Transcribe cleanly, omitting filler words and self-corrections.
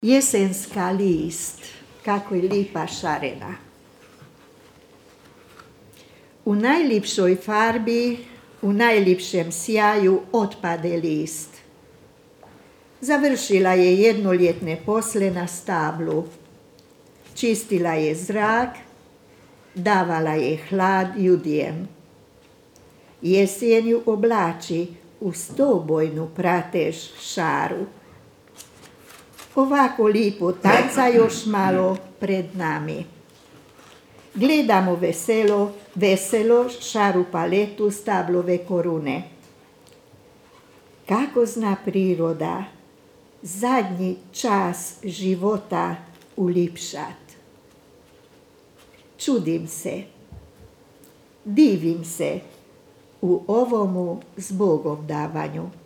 Jesenska list, kako je lipa šarena. U najlipšoj farbi, u najlipšem sjaju otpade list. Završila je jednoljetne posle na stablu. Čistila je zrak, davala je hlad ljudjem. Jesen ju oblači u stobojnu pratež šaru. Ovako lipo tanca još malo pred nami. Gledamo veselo šaru paletu stablove korune. Kako zna priroda zadnji čas života ulipšat. Čudim se, divim se u ovomu zbogom davanju.